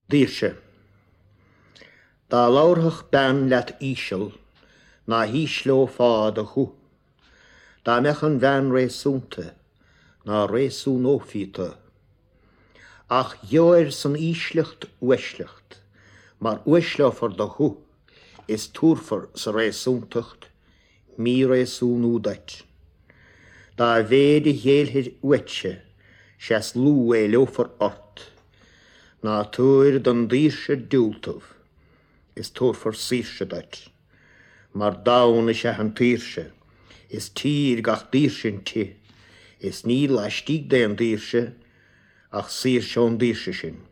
Daoirse. Dá labharfadh bean leat íseal, ná hísleofá do ghuth. Dá mbeadh an bhean réasúnta, ná réasúnófaí tu. Ach gheobhair san ísleacht uaisleacht, mar uaisleofar do ghuth is tabharfar sa réasúntacht míréasúnú duit. Dá mhéid a ghéillfir uaitse, 'sea is lú a éileofar ort. Ná tabhair don daoirse diúltamh, is tabharfar saoirse duit. Mar domhan is ea an tsaoirse, is tír gach daoirse inti, is níl laistigh d'aon daoirse ach saoirse ón daoirse sin.